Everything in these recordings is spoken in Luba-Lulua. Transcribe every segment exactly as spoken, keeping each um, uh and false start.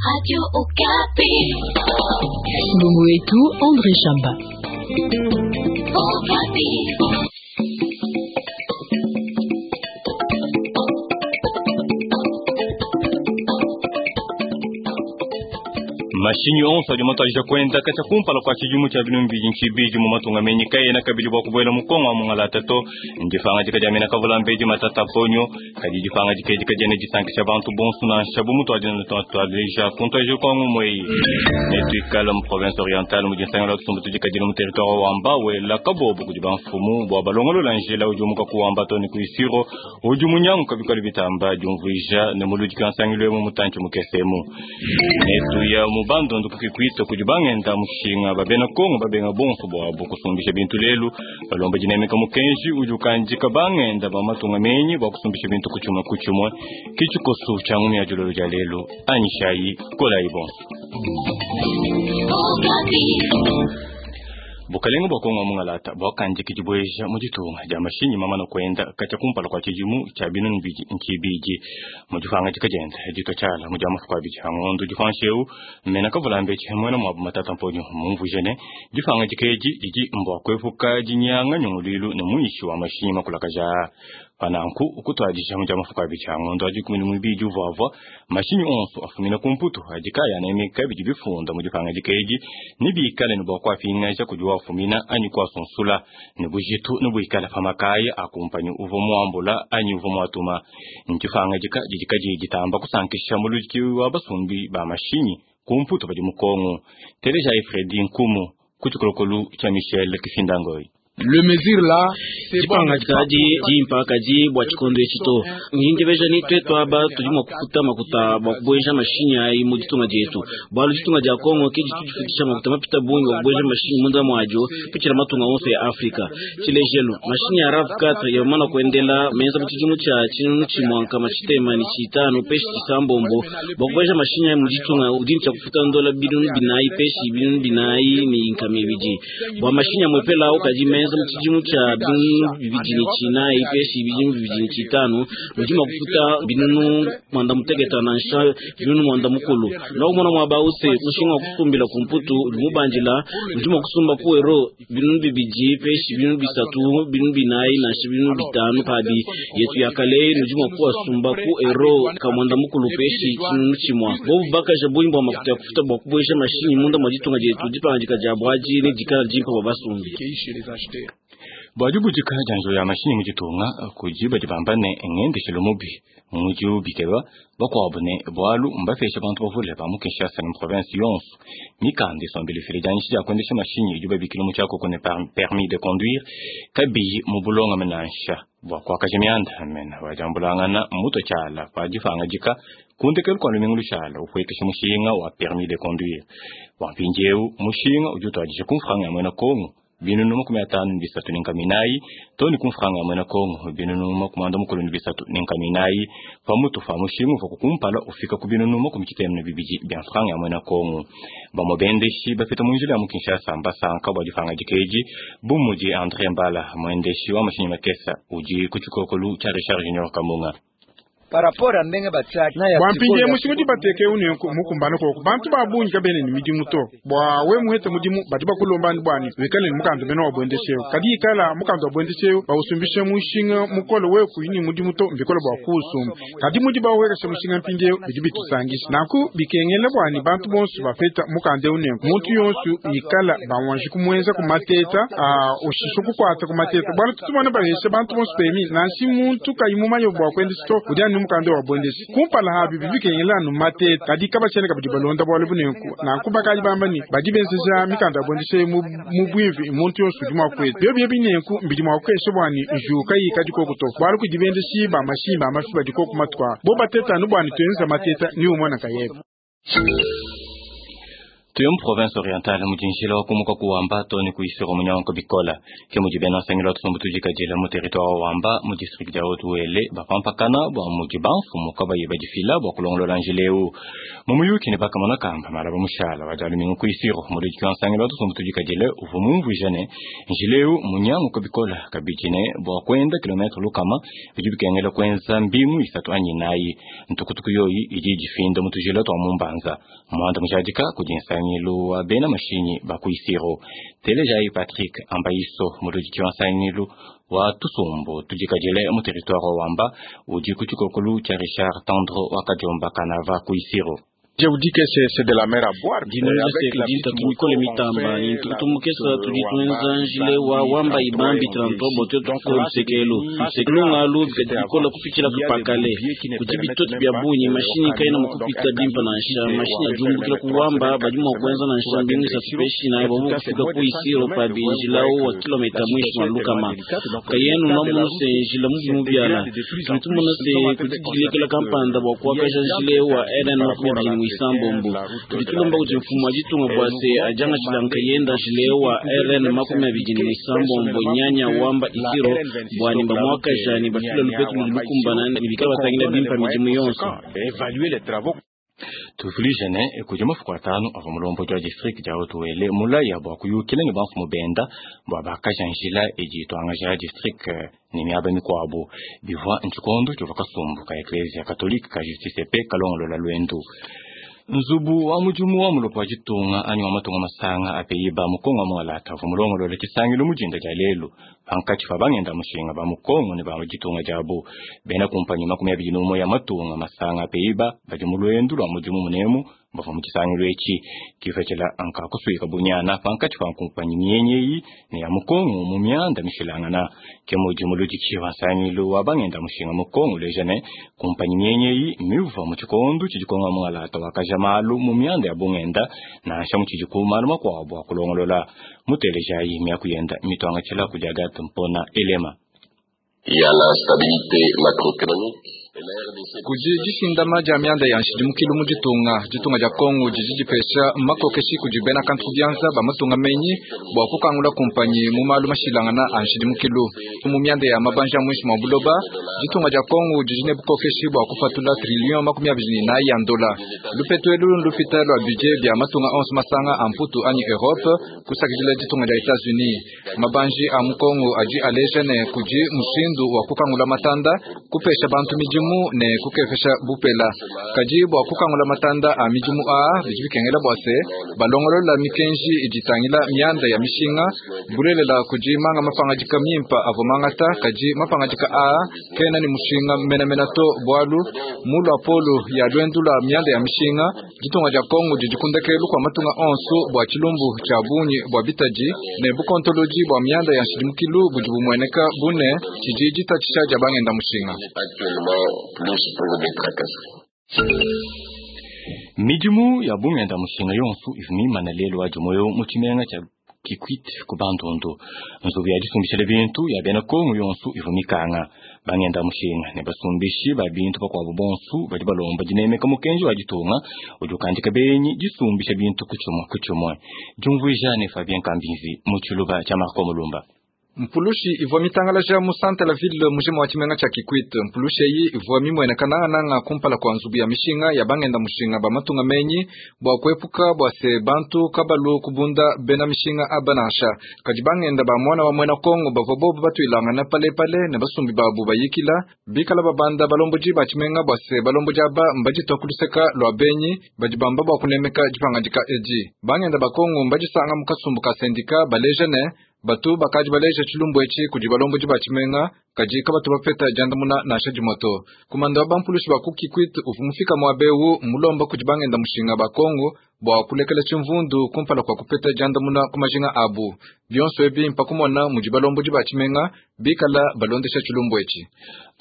Radio Okapi. Lungu wetu André Shamba. Okapi. Mashinyi onso adi matuadija kuenda katshia kumpala kua tshidimu tshia binunu bibidi ntshibidi mu matunga menyi kayena kabidi bua kubuela mu Kongo wa mungalata to. Ndipangadika dia mena kavula-mbedi Matata Ponyo, kadi dipangadika edi kadiena disankisha bantu bonso nansha bu mutuadi tuadija kuntuadija kua ngumu eyi. Netuikale mu province orientale mu dinsangila tusumbu tudikadile mu territoire wa Wamba wela kabobo kudi bamfumu bua balongolola njila udi umuka ku Wamba to ne ku Isiro udi munyanguka bikole bitamba diumvuija ne muludiki wa nsangilu emu mutantshi mukese emu. Netuya mu bandundu ku Kikwit kudi bangenda mushinga babena Kongo babenga bonso bwabo kusumbisha bintu lelu balomba dinemeka mukenji udi ukandika bangenda ba matunga menyi bua kusumbisha bintu ku tshimue ku tshimue ke tshikoso tshia ngumi ya dilolo dia lelu anyishayi kolayi bonso. Okapi. Bukalenga bua Kongo mungalata buakandika dibueja mu ditunga dia mashinyi mamana kuenda katshia kumpala kua tshidimu tshia binunu bibidi ntshibidi mu dipangadika dienda ditua tshiala mu dia matuku abidi a ngondo dipanshi eu mena kavula-mbedi muena muabu Matata Ponyo mumvuije ne dipangadika edi didi mbua kuepuka dinyanga nyunguluilu ne muishi wa mashinyi makulakaja pananku kutuadija mu dia matuku abidi a ngondo a dikumi ne muibidi uvuavua mashinyi onso afumina ku Mputu adi kaya anemeka bidi bifunda mu dipangadika edi ne bikale ne bua kuapingaja kudi wafumina anyi kuasunsula ne bujitu ne buikala pa makaya a kumpanyi uvua muambula anyi uvua muatuma. Ndipangadika didi kadiyi ditamba kusankisha muludiki wa basumbi ba mashinyi ku Mputu badi mu Kongo. Telejayi Fredi Nkumu ku tshikolokolu tshia Michel Kifindangoyi. Le mesure là, c'est bon. Dipangadika adi dimpa kadi bua tshikondo etshi to. Ngingebeja ni twetu aba tudi mua kufuta makuta bua kubueja mashinyi ayi mu ditunga dietu. Bualu ditunga dia Kongo ke ditu difutisha makuta mapita bungi bua kubueja mashinyi munda muadio kupitshila matunga onso ya Afrika. Tshilejelu, mashinyi ya RAV quatre yamana kuendela menza mu tshidimu tshia tshinunu tshimue nkama tshitema ne tshitanu peshi tshisambombo bua kubueja mashinyi ayi mu ditunga udi ne tshia kufuta ndola binunu binayi peshi binunu binayi ne nkama ibidi. Bua mashinyi amwepela awu kadi menza mu tshidimu tshia binunu bibidi ne tshinayi peshi binunu bibidi ne tshitanu udi mua kufuta binunu mwanda muteketa nansha binunu mwanda mukulu. Nakumona muaba use mushinga wa kusumbila ku Mputu udi mubandila udi mua kusumba ku euro binunu bibidi peshi binunu bisatu binunu binayi nansha binunu bitanu pabi yetu ya kale nudi mua kuasumba ku euro ka mwanda mukulu peshi tshinunu tshimua. Bobu bakaja bungi bua makuta ya kufuta bua kubueja mashinyi munda mua ditunga dietu dipangadika dia buadi ne dikala dimpa bua basumbi. Bua dibudika dia nzubu ya mashinyi mu ditunga kudi badi bamba ne ngendeshelo mubi mudi ubikeba bakuabu ne bualu mbapesha bantu bavule ba mu Kinshasa ne mu province yonso mikanda isombela ifila dianyisha dia kuendesha mashinyi idi babikila mu tshiakoko ne permis de conduire kabiyi mu bulongame nansha bua kuakaja mianda mena wadiambulangana mutue tshiala pa dipangadika kundekelu kua lumingu lushala upuekesha mushinga wa permis de conduire bua mpindieu mushinga udi utuadija ku mfranga ya muena Kongo binunu makumi atanu ne bisatu ne nkama inayi to ne ku mfranga ya muena Kongo binunu makumi anda mukulu ne bisatu ne nkama inayi pamutu pa mushinga uvua kumpala ufika ku binunu makumi tshitema ne bibidi bia mfranga ya muena Kongo. Bamue bendeshi bapeta mu njila ya mu Kinshasa mbasanka bua dipangadika edi bu mudi André Mbala muendeshi wa mashinyi makesa udi ku tshikokolu tshia Richard Junior Kamunga. Bua mpindieu mushinga udi bateke unenku mukumbane koko bantu ba bungi kabena ne midimu to. Bua we muhete mudimu badi bakulomba bwani wikale ne mukanda mene wa buendesheu. Kadi ikala mukanda wa buendesheu bausumbishe mushinga mukole we kuyini mudimu to mbikole bua kuusumba. Kadi mudi bawekesha mushinga mpindieu bidi bitusangisha. Nanku bikengela bwani bantu bonso bapeta mukanda unenku. Muntu yonso ikala bawanji kumwenza kumateta ushisha kukwata kumateta. Bwana tutumona bahesha bantu bonso pemi nanshi muntu kayi mumanye bua kuendesha to udi anu mukanda wa buendeshi. Kumpala habi bibikengela anu mateta kadi kabashene kabidi balonda bualu bunenku. Nanku bakadi bamba ni badi benzeja mikanda ya buendeshi mu mu bwivi muntu yonso udi mua kueta. Byo byo binenku mbidi mua kukesha bwani njuka yi kadi koko to. Bualu kudi bendeshi ba mashinyi ba mafi badi koko matuka. Bo bateta anu bwani tuenza mateta ni umwana kayebe. Tuye mu province orientale mudi njila wa kumuka ku Wamba to ne ku Isiro munyanguka bikola. Ke mudi bena nsangilu wa tusumbu tudikadile mu territoire wa Wamba mu district dia Haut-Uele bapampakana bua mudi bamfumu kabayi badifila bua kulongolola njila eu. Mu muyuki ne bakamona kamba malaba mushala wa dia lumingu ku Isiro muludiki wa nsangilu wa tusumbu tudikadile uvua mumvuija ne njila eu munyanguka bikola kabidi ne bua kuenda kilometre lukama bidi bikengela kuenza mbingu isatu anyi inayi. Ntukutuku yoyi idi idifinda mu tujila tua mu Mbanza. Muanda mujadika kudi nsangilu wa bena mashinyi ba ku Isiro. Telejayi Patrick Ambaiso muludiki wa nsangilu wa tusumbu tudikadile mu territoire wa Wamba udi ku tshikokolu tshia Richard Tandro wa Kadiomba Kanava ku Isiro. Je vous dis que c'est c'est de la mer à boire. Dinanga se kudi ntatu mikole mitamba ni ntukutu mukesa tudi tuenza njile wa Wamba ibambi trente bua tuetu kufika lusekelu. Lunga alu bikadi bikola kupitshila kupakale. Kudi bitoti bia bungi mashinyi kaena mua kupita bimpe nansha. Mashinyi adi umbukila ku Wamba badi mua kuenza nansha mbingu isatu peshi inayi bua kufika ku Isiro pabi njila wa kilomita muinshi mua lukama. Kayenu nwamunu se njila mubi mubiala. Tudi tumona se kudi dilekela kampanda bua kuakaja njila wa R N makumi abidi ne muisambombo. Tudi tulomba kudi mfumu wa ditunga bua se adiangatshila nkayenda njila wa R N makumi abidi ne muisambombo nyanya Wamba Isiro bua ne bamuakaja ne bafila lupetu ludi lukumbana ne bikala batangila bimpe midimu yonso. Tuvuluije ne kudi mafuku atanu avua mulombodi wa district dia Haut-Uele mulaya bua kuyukila ne bamfumu benda bua bakaja njila idi ituangaja district ne miaba mikuabu. Bivua ntshikondo tshivua kasumbu ka Eklezia Katolike ka Justice pe kalongolola luendu. Nzubu wa mudimu wa mulopo wa ditunga anyi wa matunga masanga a Pays-Bas mu Kongo mualata avua mulongolola tshisangilu mu dinda dia lelu pankatshi pa bangenda mushinga ba mu Kongo ne ba mu ditunga diabu. Bena kumpanyi makumi abidi n'umue ya matunga masanga a Pays-Bas badi mu luendu lua mudimu munemu bavua mu tshisangilu etshi. Kipatshila nka kusuika bunyana pankatshi pa kumpanyi mienyi eyi ne ya mu Kongo mu mianda mishilangana. Ke mudi muludiki wa nsangilu wa bangenda mushinga mu Kongo uleja ne kumpanyi mienyi eyi mivua mu tshikondo tshidi Kongo mualata wakaja malu mu mianda ya bungenda nansha mu tshidi ku malu makuabu a kulongolola. Mutelejayi miaku yenda mituangatshila kudi Agathe Mpona Elema. Il y a l'instabilité macroéconomique. Kudi dishindama dia mianda ya nshidimukilu mu ditunga. Ditunga dia Kongo didi dipesha makokeshi kudi bena kantu bianza ba matunga menyi bua kukangula kumpanyi mu malu mashilangana a nshidimukilu. Mu mianda ya mabanja muinshi mua buloba, ditunga dia Kongo didi ne bukokeshi bua kufatula trillion makumi abidi ne inayi ya ndola. Lupetu elu lupita lua budget bia matunga onso masanga a Mputu anyi Europe kusakidila ditunga dia Etats-Unis. Mabanji a mu Kongo adi aleja ne kudi mushindu wa kukangula matanda, kupesha bantu midimu ne kukepesha bupela. Kadi bua kukangula matanda a midimu aa bidi bikengela bua se balongolola mikenji idi itangila mianda ya mishinga bulelela kudi manga mapangadika mimpa avua mangata kadi mapangadika aa kena ne mushinga menemene to bualu mu luapolo ya luendu lua mianda ya mishinga ditunga dia Kongo didi kundekelu kua matunga onso bua tshilumbu tshia bungi bua bitadi ne bukontolodi bua mianda ya nshidimukilu budi bumueneka bune tshidi ditatshisha dia bangenda mushinga. Actuellement, plus pour des tracasseries. Midimu ya bungenda mushinga yonso ivua mimane lelu wa dimoyo mu tshimenga tshia Kikwit ku Bandundu. Nzubu ya disumbishila bintu ya bena Kongo yonso ivua mikanga. Bangenda mushinga ne basumbishi ba bintu bakuabu bonso badi balomba dinemeka mukenji wa ditunga udi ukandika benyi disumbisha bintu ku tshimue ku tshimue. Diumvuija ne Fabien Kambinzi mu tshiluba tshia Marco Mulumba. Mpulushi ivua mitangalaja mu centre la ville mujima wa tshimenga tshia Kikwit. Mpulushi eyi ivua mimueneka nangananga kumpala kua nzubu ya mishinga ya bangenda mushinga ba matunga menyi bua kuepuka bua se bantu kabalu kubunda bena mishinga aba nansha. Kadi bangenda ba muana wa muena Kongo bavua bobu batuilangana palepale ne basumbi babu bayikila bikala babanda balombodi ba tshimenga bua se balombodi aba mbaditua ku luseka lua benyi badi bamba bua kunemeka dipangadika edi. Bangenda ba Kongo mbadisanga mu kasumbu ka sendika baleja ne batu bakadi baleja tshilumbu etshi kudi balombodi ba tshimenga kadi kabatu bapeta diandamuna nansha dimue to. Kumanda wa bampulushi ba ku Kikwit uvua mufika muaba ewu mulomba kudi bangenda mushinga ba Kongo bua kulekela tshimvundu kumpala kua kupeta diandamuna ku majinga abu. Bionso ebi mpakumona mudi balombodi ba tshimenga bikala balondesha tshilumbu etshi.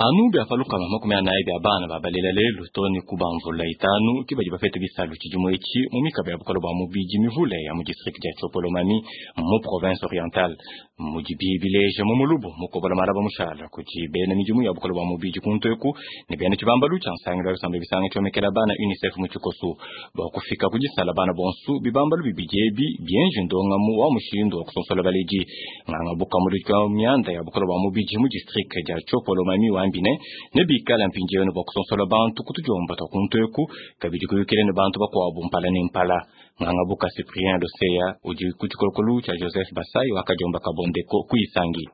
Anu bia palukama makumi anayi bia bana babalela lelu to ne ku bamvula itanu ke badi bapeta bisalu tshidimu etshi mu mikaba ya bukalo bua mubidi mivule ya mu district dia Tshiopolomami mu province orientale. Mudi bileja mu mulubu mukobola malaba mushala kudi bena midimu ya bukalo bua mubidi kuntu eku ne bena tshibambalu tshia nsangilu wa bisambe bisanga tshiomekela bana UNICEF mu tshikoso bua kufika ku disala kusonsola bana bonso bibambalu bibidi ebi bienje ndongamu wa mushindu wa kusonsola baledi. Nganga bukamulika mianda ya bukolo bwa mubidi mu district dia Tshiopolo mami wambine ne bikala mpindieu ne bua kusonsola bantu kutujomba twa kuntu eku kabidi kuyukile ne bantu bakuabu mpala ne mpala. Nganga buka Cyprien Loseya udi ku tshikolokolu tshia Joseph Basai wakajomba kabondeko kuisangi.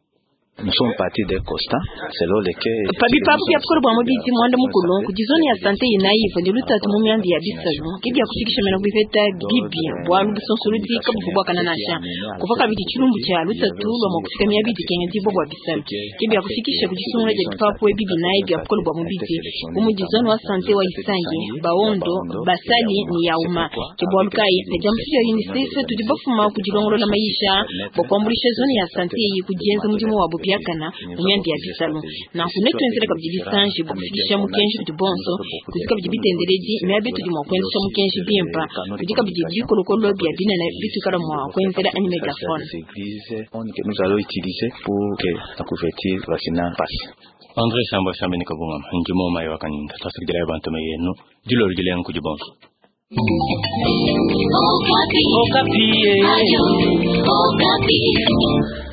Nous sommes partis des constats selon lesquels Pabipapu bya bukolo bwa mubidi mwanda mukulu ku zone ya sante inayiva ndi lutatu mu myanda ya bisalu ke bya kufikisha mena kubipeta bibi bwalu busonsolodi kabuvu bwakana nasha kuva kabidi tshilumbu tshia lutatu lwa mwa kufika myabidi kenga dibwa bwa bisalu ke bya kufikisha ku disungula dia bipapu ebi binayi bya bukolo bwa mubidi bu mu zone wa sante wa Isangi, Baondo, Basali ni Yauma. Ke bwalu kayi ne dia mufika UNICEF tudi bafuma ku dilongolola mayisha bwa kuambulisha zone ya sante iyi kudienza mudimu wabo biakana mu myanda ya bisalu. Nanku netwenzele kabidi bisanji bwa kufikisha mukenji kudi bonso kudi kabidi bitendeledi miabi tudi mua kuenzesha mukenji bimpa kudi kabidi bikolokolo bia binene bitukala mua kuenzela anyi megaphone. Que nous allons utiliser pour que la couverture vaccinale passe. André Shamba Shambeni kabungama ndimo mayi wakaninda twasikidila bantu meyenu dilolo dilengu kudi bonso. Okapi. Okapi. Ayo, Okapi.